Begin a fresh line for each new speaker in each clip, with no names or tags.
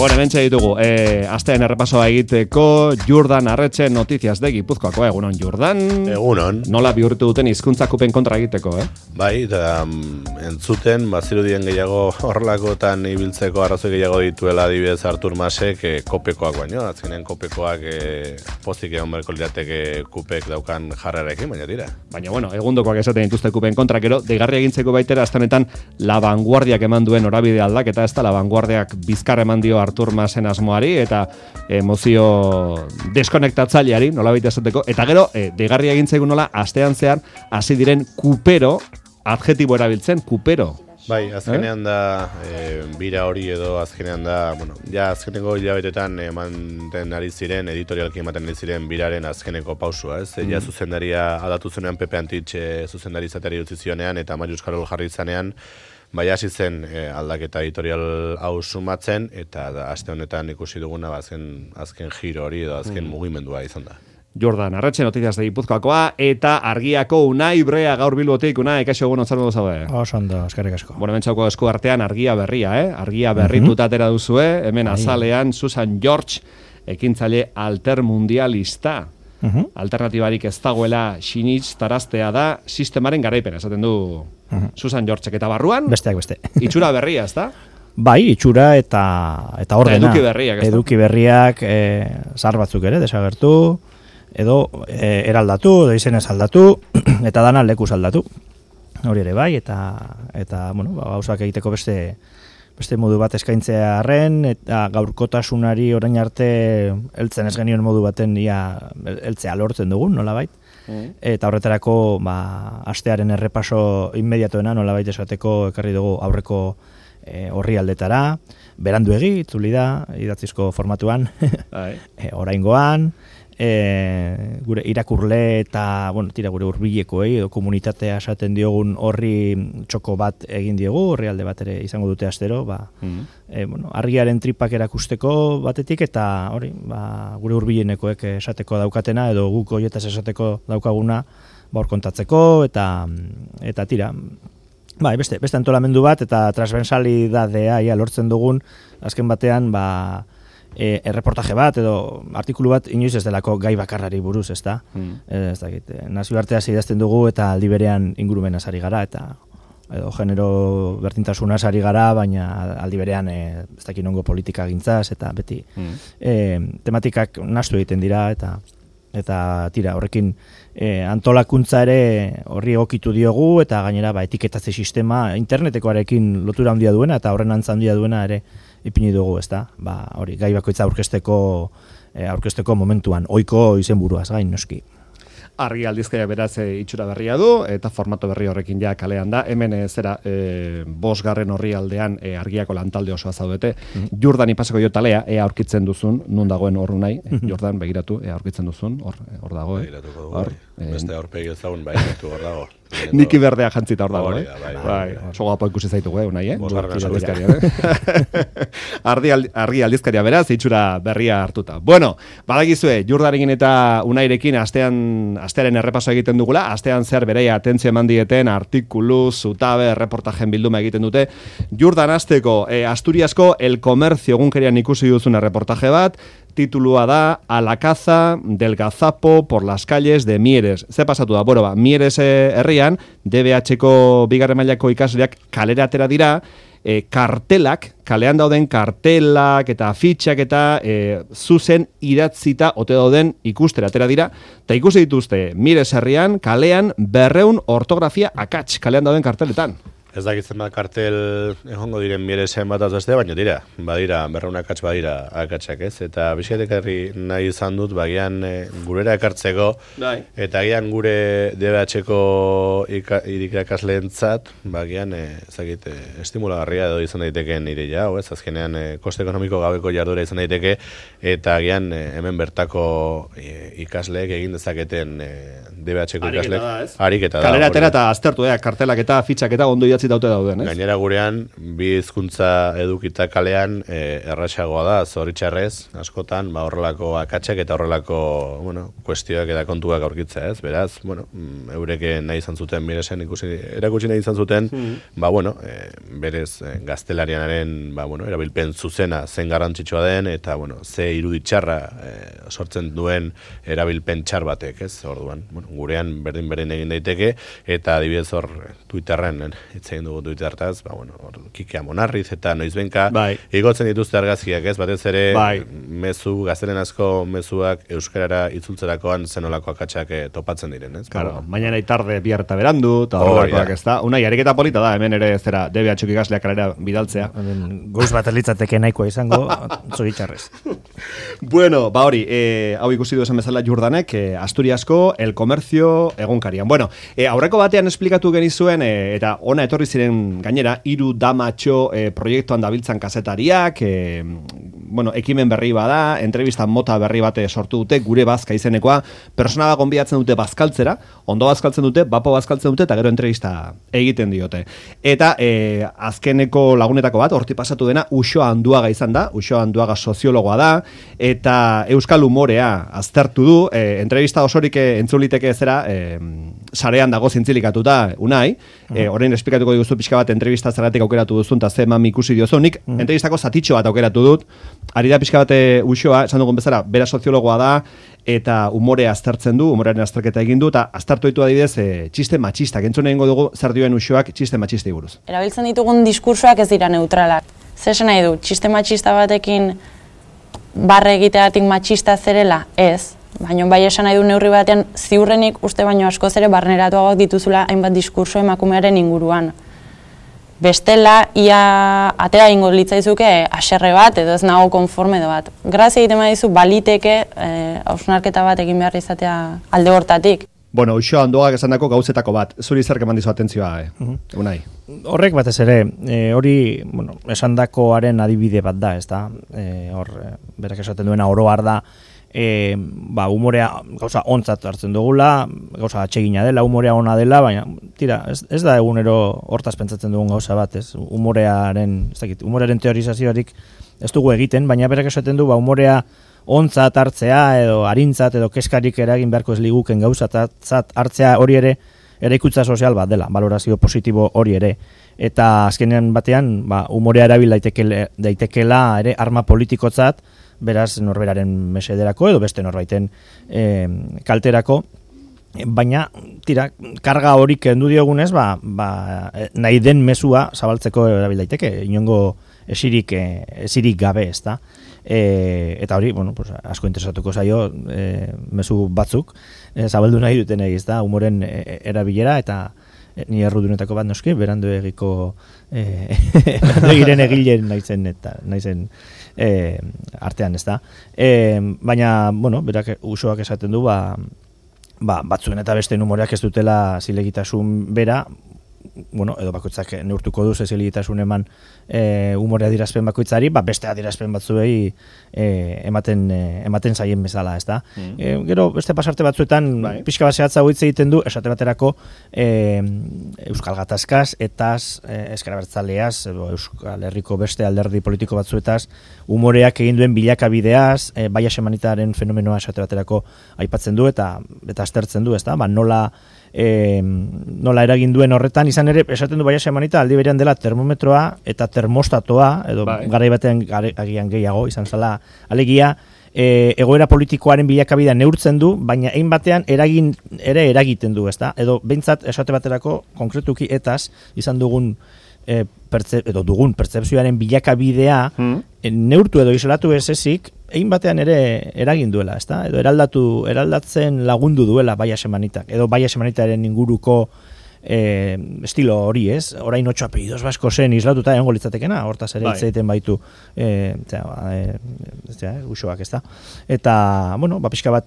Bueno, hementxe ditugu, astean errepasoa egiteko Jordan Arretxe notiziaz de Gipuzkoako, egunon Jordan?
Egunon.
Nola bihurtu duten hizkuntzakupen kontra egiteko,
Bai, eta entzuten, bazirudien gehiago horrelakotan ibiltzeko arrazoi gehiago dituela adibidez Artur Masek kopekoak baino, azkenean kopekoak pozik egon berko lirateke kupek daukan jarrarekin, baina dira.
Baina, bueno, egundokoak esaten dituzte kupen kontra, gero, deigarria egintzeko baitera, astanetan La Vanguardiak eman duen norabide aldaketa, ez da, La Vanguardiak bizkar eman dio Artur Masen asmoari, eta mozio deskonektatzaileari, nola baita esateko, eta gero, deigarria egintzeko nola, astean zehar, hasi diren kupero, adjetibo erabiltzen, kupero.
Bai, azkenean da, bira hori edo azkenean da, bueno, ja azkeneko hilabetetan ematen ari ziren, editorialki ematen ari ziren biraren azkeneko pausua, ez? Ja zuzendaria aldatu zenean Pepe Antich zuzendari izateri utzi zionean eta Marius Karol jarri izanean, bai hasi zen aldaketa editorial hau sumatzen, eta aste honetan ikusi duguna azken giro hori edo azken mugimendua izan da.
Jordan Arretxe notiziaz de Gipuzkoakoa, eta Argiako Unai Brea gaur Bilbotik. Unai, kaixo egun ontzartu duzaude?
Oso ondo, eskerrik asko.
Bueno, bentsauko esku artean Argia berria, Argia berrituta atera duzue, hemen azalean Susan George, ekintzaile altermundialista. Alternatibarik ez dagoela sinitz taraztea da sistemaren garaipena, esaten du Susan George, eta barruan
besteak beste.
Itxura berria, ez da?
Bai, itxura eta ordena.
Eduki berriak, ez da?
Eduki berriak, zahar batzuk ere, desagertu, edo eraldatu, edo izenez aldatu, eta dana lekuz aldatu. Hori ere bai, eta bueno, gauzak egiteko beste modu bat eskaintzea arren, eta gaurkotasunari orain arte heltzen ez genioen modu baten heltzea lortzen dugun, nolabait. Eta horretarako astearen errepaso inmediatoena nolabait esateko ekarri dugu aurreko orrialdetara, beranduegi, itzuli da, idatzizko formatuan, oraingoan, gure irakurle eta, bueno, tira gure hurbilekoei edo komunitatea esaten diogun horri txoko bat egin diogu, orrialde bat ere izango dute astero, bueno, argiaren tripak erakusteko batetik, eta hori, gure hurbilenekoek esateko daukatena, edo guk hoietaz esateko daukaguna, hor kontatzeko, eta tira, bai, beste antolamendu bat, eta transversalidadea lortzen dugun, azken batean, erreportaje bat edo artikulu bat inoiz ez delako gai bakarrari buruz, ez da? Ez dakit, nazioarteaz idazten dugu eta aldi berean ingurumenaz ari gara, edo genero berdintasunaz ari gara, baina aldi berean ez dakit nongo politika gintzaz, eta beti tematikak nahastu egiten dira, eta tira, horrekin antolakuntza ere horri egokitu diogu, eta gainera etiketatze sistema internetekoarekin lotura handia duena, eta horren antza handia duena ere ipini dugu, ez da? Hori, gai bakoitza aurkezteko momentuan, ohiko izenburuaz gain, noski.
Argi aldizkaia beraz itxura berria du, eta formato berri horrekin ja kalean da. Hemen 5. orrialdean Argiako lantalde osoa zaudete. Jordan ipasako jo talea, aurkitzen duzun, nun dagoen horru nahi. Jordan, begiratu, aurkitzen duzun, hor dago.
Begiratuko dugu, beste aurpegi ezagun begiratu hor dago.
Niki berdea jantzita hor dago,
Bai.
Sogo apo ikusi zaitugu, Unai, Argi aldizkaria beraz, itxura berria hartuta. Bueno, badakizue, Jordanekin eta Unairekin astearen errepaso egiten dugula, astean zer bereia atentzio eman dieten, artikulu, zutabe, reportajen bilduma egiten dute. Jordan asteko, Asturiasko El Comercio egunkerian ikusi duzun reportaje bat, titulua da A la caza del gazapo por las calles de Mieres. Ze pasatu da? Bueno, Mieres herrian, DBH-ko bigarren mailako ikasleak kalera atera dira, kalean dauden kartelak eta afitxak eta zuzen idatzita ote dauden ikustera atera dira, eta ikusi dituzte Mieres herrian, kalean 200 ortografia akats kalean dauden karteletan.
Ez dakitzen bat kartel egongo diren Mieresen bat azbeste, baina badira, 200 akats badira akatsak, ez? Eta bizkaitek herri nahi izan dut, bagian gurera ekartzeko, eta gian gure DBH-ko irakasleentzat, bagian, estimulagarria edo izan daiteken ideia, ez? Azkenean, koste ekonomiko gabeko jardura izan daiteke, eta gian hemen bertako ikasleek egin dezaketen DBH-ko ikasleek. Ariketa da.
Kalera atera eta aztertu, kartelak eta fitxak eta ondo idatzi daute dauden, ez?
Gainera gurean, bi hizkuntza edukita kalean erraxagoa da, zoritxarrez, askotan, horrelako akatsak eta horrelako, kuestioak eta kontuak aurkitzea, ez? Beraz, eurek nahi izan zuten, miresen erakutsi nahi izan zuten, berez gaztelanianaren, erabilpen zuzena zen garrantzitsua den, eta, ze iruditxarra sortzen duen erabilpen txar batek, ez? Orduan, gurean berdin egin daiteke, eta adibidez hor Twitterren, hitz egin dugu Twittertaz, Kikea Monarriz eta noizbenka igotzen dituzte argazkiak, ez? Batez ere mezu, gaztelenazko mezuak euskarara itzultzerakoan zenolako akatsak topatzen diren, ez?
Claro, mañana y tarde bihar eta berandu, eta horrelakoak, ez da? Unai, ariketa polita da, hemen ere zera DBH ikasleak kalera bidaltzea.
Goiz bat elitzateke nahikoa izango, zoritxarrez.
Bueno, hori, hau ikusi du esan bezala Jordanek, Asturiasko, El Comercio egunkarian. Bueno, aurreko batean esplikatu genizuen, eta ona etorri ziren gainera, 3 damatxo proiektuan dabiltzan kazetariak, ekimen berri bada, entrevista mota berri bate sortu dute, gure bazka izenekoa, persona bat gonbidatzen dute bazkaltzera, ondo bazkaltzen dute, bapo bazkaltzen dute, eta gero entrevista egiten diote. Eta azkeneko lagunetako bat, horti pasatu dena, Uxoa Anduaga izan da, Uxoa Anduaga soziologoa da, eta euskal humorea aztertu du, entrevista osorik entzuliteke zera, sarean dago zintzilikatuta, Unai, orain esplikatuko diguzu pixka bat entrevista zergatik aukeratu duzun, eta ze eman ikusi diozunik, entrevistako zatitxo bat aukeratu dut, ari da pixka bat Uxoa, esan dugun bezala, bera soziologoa da, eta umorea aztertzen du, umorearen azterketa egin du, eta aztertu ditu adibidez txiste matxistak, entzun egingo dugu zer dioen Uxoak txiste matxistei buruz.
Erabiltzen ditugun diskursoak ez dira neutralak. Zer esan nahi du, txiste matxista batekin barre egiteatik matxista zerela? Ez. Baina bai esan nahi du neurri batean ziurrenik uste baino askoz ere barneratuagoak dituzula hainbat diskurso emakumearen inguruan. Bestela, ia atera ingo litzaizuke haserre bat edo ez nago konforme edo bat. Grazia egiten badizu baliteke hausnarketa bat egin behar izatea alde hortatik.
Bueno, Uxoa Anduagak esandako gauzetako bat. Zuri zer eman dizu atentzioa, Unai?
Horrek batez ere, hori, esandakoaren adibide bat da, ez da? Hor, berak esaten duena oro har da, humorea gauza ontzat hartzen dugula, gauza atsegina dela, humorea ona dela, baina tira, ez da egunero hortaz pentsatzen dugun gauza bat, ez? Humorearen teorizazioarik ez dugu egiten, baina berak esaten du, humorea ontzat hartzea edo harintzat edo keskarik eragin beharko ez liguken gauzatzat hartzea hori ere eraikuntza sozial bat dela, valorazio positibo hori ere. Eta azkenean batean, humorea erabil daitekeela ere arma politikotzat, beraz norberaren mesederako edo beste norbaiten kalterako, baina tira, karga hori kendu diogunez, nahi den mezua zabaltzeko erabil daiteke, inongo esirik gabe, ez da. Eta hori, asko interesatuko zaio mezu batzuk, zabaldu nahi duten ez da, humoren erabilera, eta ni errudunetako bat noski, berandu egiko egiren egilen naizen artean, ez da. Baina, berak Uxoak esaten du, batzuen eta beste humoreak ez dutela zilegitasun bera, edo bakoitzak neurtuko du zilegitasun eman humorea adierazpen bakoitzari, beste adierazpen batzuei ematen zaien bezala, ez da. Gero, beste pasarte batzuetan, pixka bat zehatza hitz egiten du, esate baterako Euskal Gatazkaz, etaz, Ezkerabertzaleaz, Euskal Herriko beste alderdi politiko batzuetaz, humoreak egin duen bilakabideaz, baia semanitaren fenomenoa esate baterako aipatzen du, eta aztertzen du, ez da, nola eragin duen horretan, izan ere, esaten du baia semanita, aldi berean dela termometroa eta termostatoa, edo garai batean agian gehiago, izan zala, alegia, egoera politikoaren bilakabidea neurtzen du, baina egin batean eragiten du, ezta? Edo behintzat esate baterako, konkretuki etaz, izan dugun dugun pertzepzioaren bilakabidea neurtu edo isolatu ez ezik, egin batean ere eragin duela, ezta? Edo eraldatzen lagundu duela baia semanitak, edo baia semanitaren inguruko estilo hori, ez? Orain 8 apellidos basko zen islatuta egongo litzatekena, hortaz ere hitz egiten baitu Uxoak, ezta? Eta, pixka bat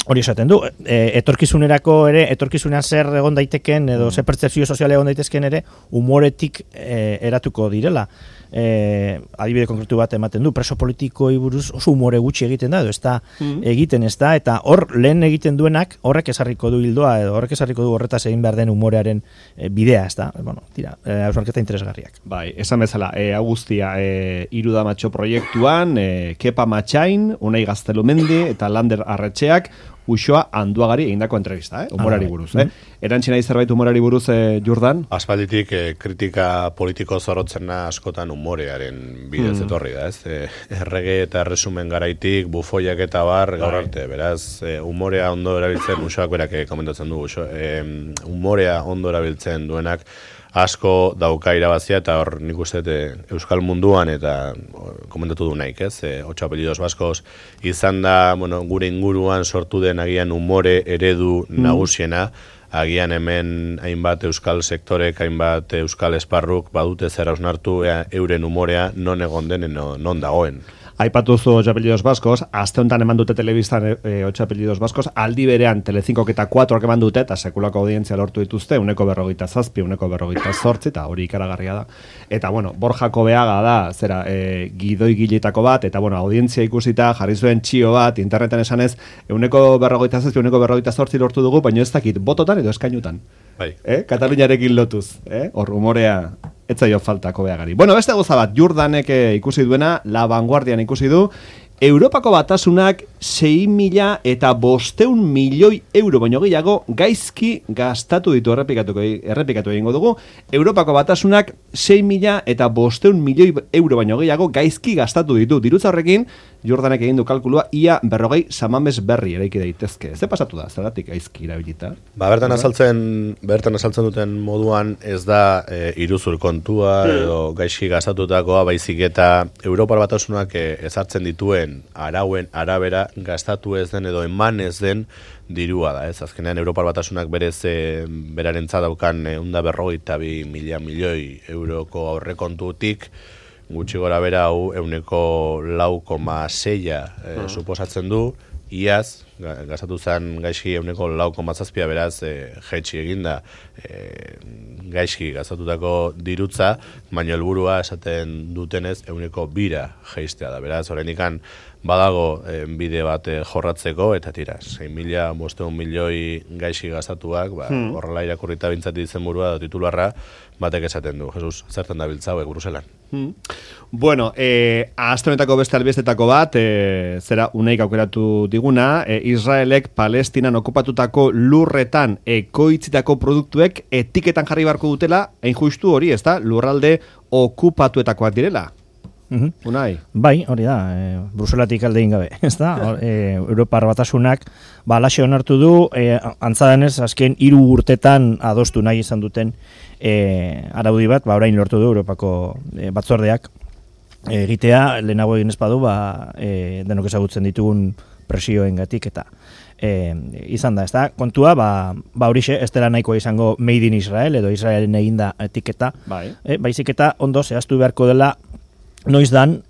hori esaten du, etorkizunerako ere, etorkizunean zer egon daiteken, edo zer pertzepzio sozial egon daitezken ere, humoretik eratuko direla. Adibide konkretu bat ematen du, preso politikoei buruz oso humore gutxi egiten da, edo ez da egiten ez da, eta hor lehen egiten duenak horrek esarriko du hildoa, edo horrek esarriko du horretaz egin behar den humorearen bidea, ez da, bueno, tira, hausnarketa interesgarriak.
Bai, esan bezala, hau guztia, Iruda Matxo proiektuan, Kepa Matxain, Unai Gaztelumendi eta Lander Arretxeak, Uxoa Anduagari egindako entrevista, humorari buruz. Erantzina zerbait humorari buruz, Jordan?
Aspalditik kritika politiko zorrotzena askotan humorearen bidez etorri da, ez? Errege eta erresumen garaitik, bufoiak eta bar, gaur arte, beraz, humorea ondo erabiltzen, Uxoak berak komentatzen du, humorea ondo erabiltzen duenak, asko dauka irabazia eta hor nik uste Euskal munduan eta komentatu du naik, ez? 8 apellidos baskos izan da, bueno, gure inguruan sortu den agian umore eredu nagusiena, agian hemen hainbat euskal sektorek, hainbat euskal esparruk badute zer hausnartu euren umorea non egon den, non dagoen.
Aipatuzu 8 apellidos baskos, aste honetan eman dute telebistan 8 apellidos baskos, aldi berean Telecincoak eta 4ak eman dute, eta sekulako audientzia lortu dituzte, 147, 148, eta hori ikaragarria da. Eta, bueno, Borjako Beaga da, zera, gidoi giletako bat, eta, bueno, audientzia ikusita, jarri zuen txio bat, interneten esanez, 147, 148 lortu dugu, baina ez dakit, bototan edo eskainutan.
Bai.
Kataluniarekin lotuz, hor humorea etzaio faltako Beagari. Bueno, beste gauza bat, Jordanek ikusi duena, La Vanguardian ikusi du, Europako Batasunak 6.500 milioi euro baino gehiago gaizki gastatu ditu, errepikatu egingo dugu. Europako Batasunak 6.500 milioi euro baino gehiago gaizki gastatu ditu. Dirutza horrekin, Jordanek egin du kalkulua, ia 40 samames berri eraiki daitezke. Ze pasatu da, zergatik gaizki erabilita?
Bertan azaltzen duten moduan ez da iruzur kontua edo gaizki gastatutakoa, baizik eta Europar Batasunak ezartzen dituen arauen arabera gastatu ez den edo eman ez den dirua da, ez? Azkenean Europar Batasunak berez berarentzat daukan 152 milioi euroko aurrekontutik gutxi gora bera hau 4,6 suposatzen du, iaz gastatu zen gaizki 4,7 beraz jaitsi eginda gaizki gastatutako dirutza, baina helburua esaten dutenez 2 jaistea da. Beraz, oraindikan badago bide bat jorratzeko, eta tira, 6.500 milioi gaizki gastatuak, horrela irakurrita bintzat izenburua da titularra, batek esaten du. Jesus, zertan da biltzauek Bruselan?
Bueno, aste honetako beste albistetako bat, zera uneik aukeratu diguna, Israelek Palestinan okupatutako lurretan ekoitzitako produktuek etiketan jarri beharko dutela, hain justu hori, ez da, lurralde okupatuetakoak direla. Unai?
Bai, hori da, Bruselatik alde ingabe, ez da? Europar Batasunak alaxe onartu du, antzadanez, azken 3 urtetan adostu nahi izan duten araudi bat, orain lortu du Europako batzordeak egitea, lehenago egin ez badu, denok ezagutzen ditugun presioengatik eta izan da, ez da? Kontua, horixe, ez dela nahikoa izango Made in Israel, edo Israelen eginda etiketa, baizik eta ondo zehaztu beharko dela noiz dan,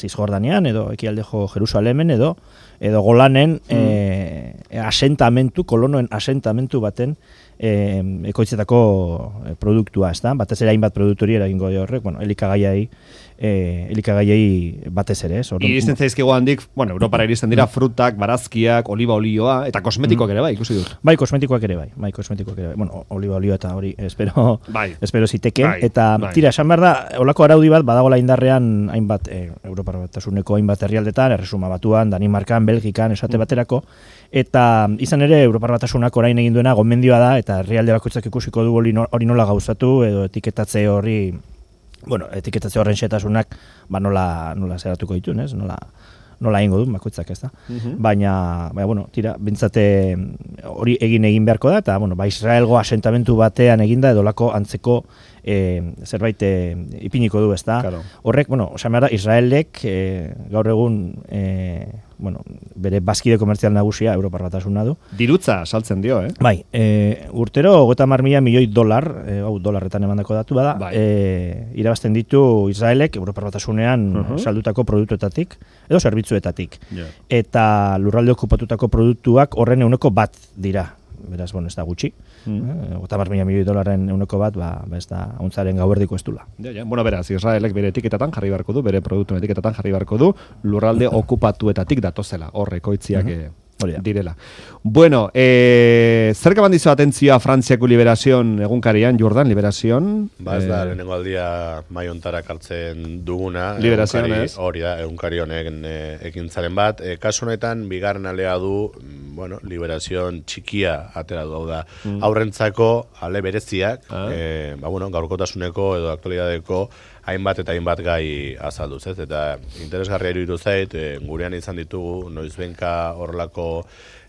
Cisjordanian, edo ekialdeko Jerusalemen, edo Golanen asentamentu, kolonoen asentamentu baten ekoitzetako produktua, ez da? Batez ere hainbat produktori eragingo dio horrek, elikagaiei batez ere, ez?
Iristen zaizkigo handik, Europara iristen dira frutak, barazkiak, oliba olioa, eta kosmetikoak ere bai, ikusi dut.
Bai, kosmetikoak ere bai. Bueno, oliba olioa eta hori espero ziteken, eta tira, esan behar da, olako araudi bat, badagola indarrean hainbat, Europar Batasuneko hainbat herrialdetan, Erresuma Batuan, Danimarkan, Belgikan, esate baterako, eta izan ere, Europar Batasunak orain egin duena gomendioa da, eta herrialde bakoitzak ikusiko du hori nola gauzatu, edo etiketatze etiketatze horren xetasunak nola zeratuko dituen, ez? Nola egingo du, bakoitzak, ez da? Baina, tira, bintzate hori egin beharko da, eta, Israelgo asentamentu batean eginda, edolako antzeko zerbait ipiniko du, ezta?
Claro.
Horrek, esan behar da, Israelek gaur egun bere bazkide komertzial nagusia Europar Batasuna du.
Dirutza saltzen dio,
Bai, urtero 30.000 milioi dolar, dolarretan emandako datu bada,
bai.
Irabazten ditu Israelek Europar Batasunean saldutako produktuetatik edo zerbitzuetatik.
Yeah.
Eta lurralde okupatutako produktuak horren 1% dira. Beraz, ez da gutxi. 30.000 milioi dolarren 1% ez da hauntzaren gauerdiko ez dula.
Ja. Bueno, beraz, Israelek bere etiketatan jarri beharko du, bere produktuen etiketatan jarri beharko du, lurralde okupatuetatik datozela, horrekoitziak direla. Bueno, zerka bandizo atentzioa Frantziako Liberazion egunkarian, Jordan, Liberazion?
Ez da, lehenengo aldia maiontara kartzen duguna.
Liberazion, ez?
Hori da, egunkari honen ekintzaren bat. Kasu honetan, bigarren alea du, Liberazion txikia atera du, da. Aurrentzako ale bereziak, gaurkotasuneko edo aktualidadeko hainbat eta hainbat gai azalduz, ez? Eta interesgarria iruditu zait, gurean izan ditugu noizbenka horrelako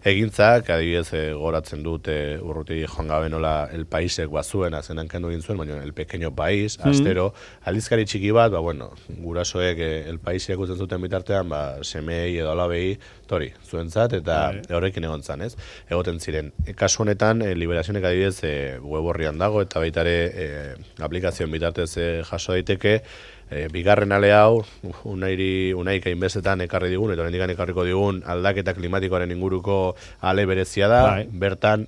egintzak, adibidez goratzen dut urruti joan gabe nola El Paisek bazuen, azenan kendu egin zuen, baina El Pequeño País, astero, aldizkari txiki bat, gurasoek El Paisek ikusten zuten bitartean, semei edo alabei, tori, zuentzat, eta horrekin egon zan, ez? Egoten ziren. Kasu honetan, Liberazionek adibidez web horrian dago, eta baitare aplikazioen bitartez jaso daiteke, bigarren ale hau, unaik hainbestetan ekarri digun, eta oraindik ekarriko digun aldaketa klimatikoaren inguruko ale berezia da, bertan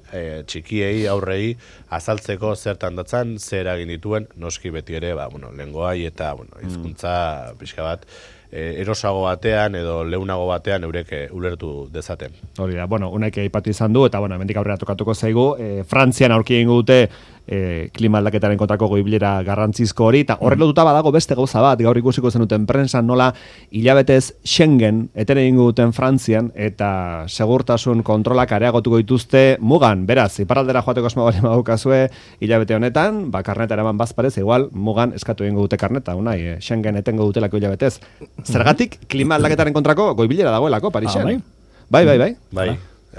txikiei, aurrei, azaltzeko zertan datzan, zer egin dituen, noski beti ere, lengoai eta hizkuntza pixka bat, erosago batean edo leunago batean eurek ulertu dezaten.
Hori da, unaik aipatu izan du, eta hemendik aurrera tokatuko zaigu, Frantzian aurki egingo dute klima aldaketaren kontrako goibilera garrantzizko hori, eta horrek lotuta badago beste gauza bat, gaur ikusiko zenuten prensan nola hilabetez Schengen eten egingo duten Frantzian, eta segurtasun kontrolak areagotuko dituzte mugan, beraz, iparraldera joateko asmo bali badukazue hilabete honetan, karneta eraman bazparez, igual mugan eskatu egingo dute karneta, unai, Schengen etengo dutelako hilabetez. Zergatik klima aldaketaren kontrako goibilera dagoelako Parisen. Bai.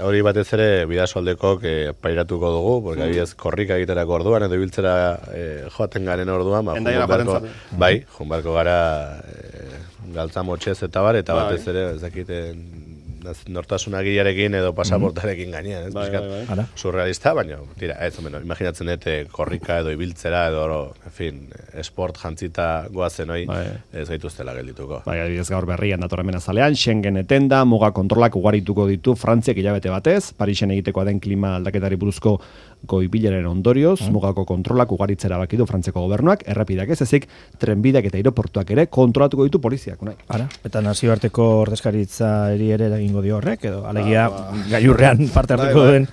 Hori batez ere bidasoaldekok pairatuko dugu, porque adibidez korrika egiterako orduan edo ibiltzera joaten garen orduan, junbarko gara galtzamotxez eta bar, eta batez ere ez dakiten nortasunagiarekin edo pasaportarekin gainean, ez?
Bai.
Surrealista, baina, tira, imaginatzen dut korrika edo ibiltzera edo, esport jantzita goazen hoi, ez gaituztela geldituko.
Adibidez gaur berrian datorren azalean, Schengen etenda, muga kontrolak ugarituko ditu Frantziak hilabete batez, Parisen egitekoa den klima aldaketari buruzko goibilaren ondorioz, mugako kontrolak ugaritzera bakidu Frantziako gobernuak, errepideak ez ezik, trenbideak eta aireportuak ere kontrolatuko ditu poliziak.
Eta nazioarteko ordezkaritza ere egingo dio horrek, edo alegia gailurrean parte hartuko duen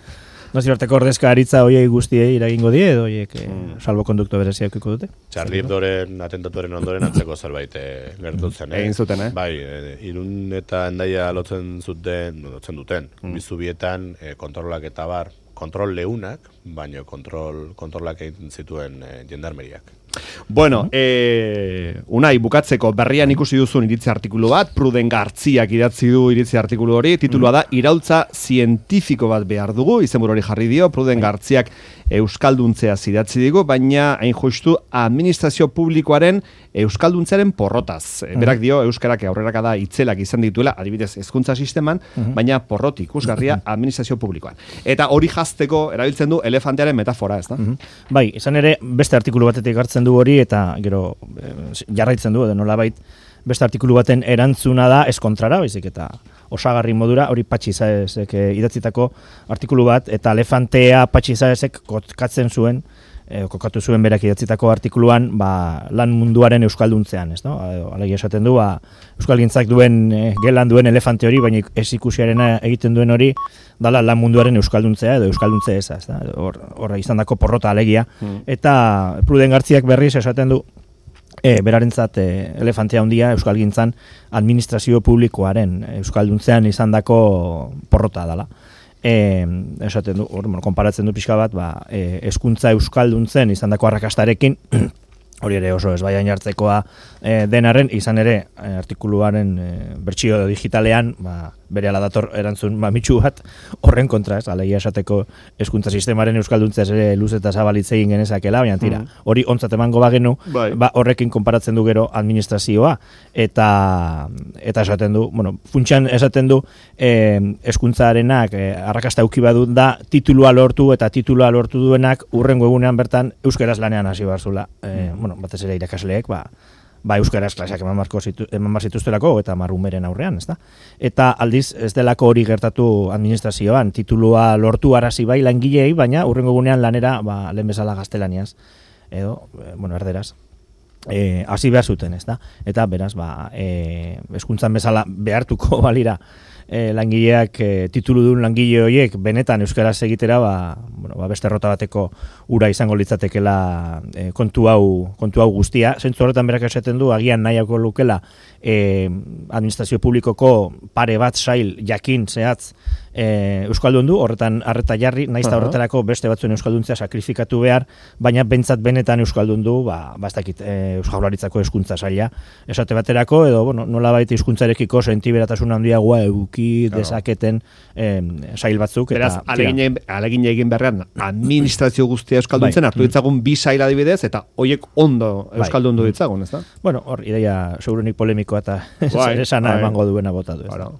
nazioarteko ordezkaritza hoiei guztiei eragingo die, edo hoiek salbokondukto bereziak iko dute?
Charlie Hebdoren atentatuaren ondoren atzeko zerbait gertutzen.
Egin zuten,
Bai, Irun eta Hendaia lotzen duten, bizubietan kontrolak eta bar, kontrol leunak, baina kontrolak egin zituen jendarmeriak.
Bueno, Unai, bukatzeko berrian ikusi duzun iritzi artikulu bat, Pruden Gartziak idatzi du iritzi artikulu hori, titulua da Iraultza zientifiko bat behar dugu, izenburu hori jarri dio, Pruden Gartziak euskalduntzea idatzi digu, baina hain justu administrazio publikoaren euskalduntzearen porrotaz. Berak dio, euskarak aurrerakada itzelak izan dituela, adibidez hezkuntza sisteman, baina porrot ikusgarria administrazio publikoan. Eta hori jazteko erabiltzen du elefantearen metafora, ez da?
Bai, izan ere, beste artikulu batetik hartzen du hori, eta gero jarraitzen du, edo nolabait beste artikulu baten erantzuna da eskontrara, baizik eta osagarri modura, hori Patxi Saezek idatzitako artikulu bat, eta elefantea Patxi Saezek kokatu zuen berak idatzitako artikuluan lan munduaren euskalduntzean, ez no? Alegia esaten du, euskalgintzak duen gelan duen elefante hori, baina ez ikusiarena egiten duen hori, dala lan munduaren euskalduntzea edo euskalduntzea eza, ez da? Horra izan dako porrota alegia. Eta Pruden Gartziak berriz esaten du, berarentzat elefantea handia euskalgintzan administrazio publikoaren euskalduntzean izan dako porrota dala. Esaten du, konparatzen du pixka bat, hezkuntza euskalduntzen izandako arrakastarekin, hori ere oso ez baian jartzekoa denaren, izan ere artikuluaren bertsio digitalean, berehala dator erantzun mamitsu bat horren kontra, ez, alegia esateko hezkuntza sistemaren euskalduntza ere luz eta zabalitz egin genezakela, baina tira, hori ontzat emango bagenu, horrekin konparatzen du gero administrazioa, eta esaten du, bueno, funtsan esaten du hezkuntzarenak arrakasta eduki badu da titulua lortu eta titulua lortu duenak urrengo egunean bertan euskaraz lanean hasi barzula. Bueno, batez ere irakasleek, euskaraz klaseak eman bar zituztelako eta marrumeren aurrean, ezta? Eta aldiz ez delako hori gertatu administrazioan, titulua lortu arazi bai langilei, baina urrengo egunean lanera lehen bezala gaztelaniaz edo, bueno, erderaz. Hasi behar zuten, ezta? Eta beraz, hezkuntzan bezala behartuko balira langileak tituludun langile horiek benetan euskaraz egitera beste errota bateko ura izango litzatekela kontu hau guztia. Zentzu horretan berak esaten du agian nahiako lukela administrazio publikoko pare bat sail jakin zehatz euskaldun du, horretan arreta jarri, naizta horretarako beste batzuen euskalduntzea sakrifikatu behar, baina bentsat benetan euskaldun du, ez dakit Jaurlaritzako hezkuntza saila esate baterako, edo nolabait hizkuntzarekiko sentiberatasun handiagoa eduki dezaketen sail batzuk.
Beraz, alegin egin beharrean administrazio guztia euskalduntzen hartu ditzagun bi sail adibidez, eta hoiek ondo euskaldundu ditzagun, ez da?
Bueno, hor, ideia segurunik polemikoa eta esana emango duena bota du, ez da?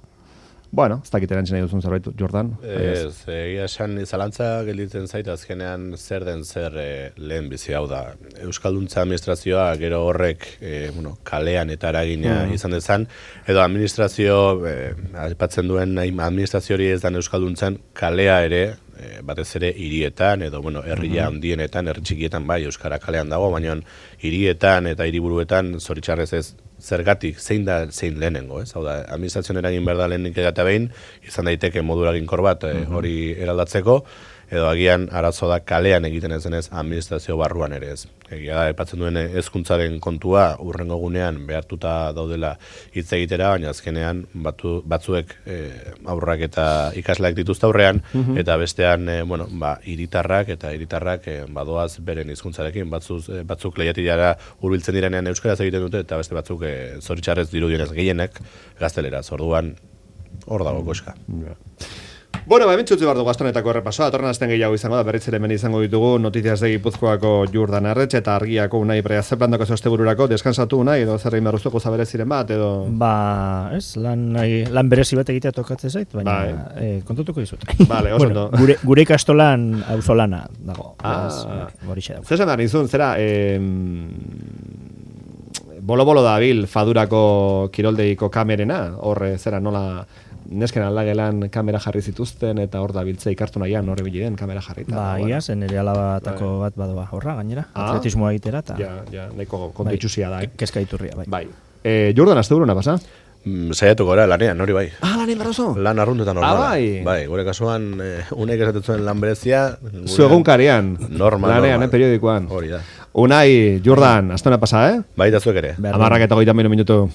Bueno, ez dakit erantzen nahi duzun zerbait, Jordan.
Ez, egia esan zalantza gelditzen zait azkenean zer den zer lehen bizi hau da. Euskalduntza administrazioa gero horrek kalean eta eragina izan dezan, edo administrazio, aipatzen duen administrazio hori ez dan euskalduntzan, kalea ere, batez ere hirietan edo herria handienetan, herri txikietan bai euskara kalean dago, baina hirietan eta hiriburuetan zoritxarrez ez zergatik zein lehenengo, ez? Hau da, administrazioan eragin behar da lehenik eta behin, izan daiteke modu eraginkor bat hori eraldatzeko, edo agian arazo da kalean egiten ezenez administrazio barruan ere ez. Egia da, epatzen duen hezkuntzaren kontua urrengo gunean behartuta daudela hitz egitera, baina azkenean batzuek aurrak eta ikasleak dituzte aurrean, eta bestean, hiritarrak badoaz beren hizkuntzarekin, batzuk lehiatilara hurbiltzen direnean euskaraz egiten dute, eta beste batzuk zoritxarrez dirudienez gehienek gazteleraz, orduan hor dago koska.
Bueno, hementxutzi behar dugu astonetako errepasoa, atorren azten gehiago izango da, berriz ere hemen izango ditugu Notizias de Gipuzkoako Jordan Arretxe eta Argiako Unai Brea zeplandako zostebururako, deskansatu Unai, edo zer egin behar uzuko zabereziren bat, edo...
lan berezi bat egitea tokatzen zait, baina kontutuko dizut.
Vale, oso ondo.
Gure ikastolan auzolana dago.
Zer behar nizun, zera... Bolo-bolo da bil fadurako kiroldeiko kamerena, horre zera nola... Nesken aldagelan kamera jarri zituzten eta hor da biltzea ikartu nahian horre bilen kamera jarri.
Ia, zen ere alabatako bat badoa horra gainera, atletismoa egitera.
Ja, nahiko kontu itxusia da.
Kezka iturria, bai.
Jordan, azte buruna pasa?
Saiatuko gara, lanean, hori bai.
Lanean barroso?
Lan arruntetan normala. Bai, gure kasuan, unek esatetzuen lan berezia...
Zu egunkarian.
Normal.
Lanean, periodikoan.
Hori da.
Unai, Jordan, azte hona pasa,
Bai, da zuek ere.
10:30 minutu.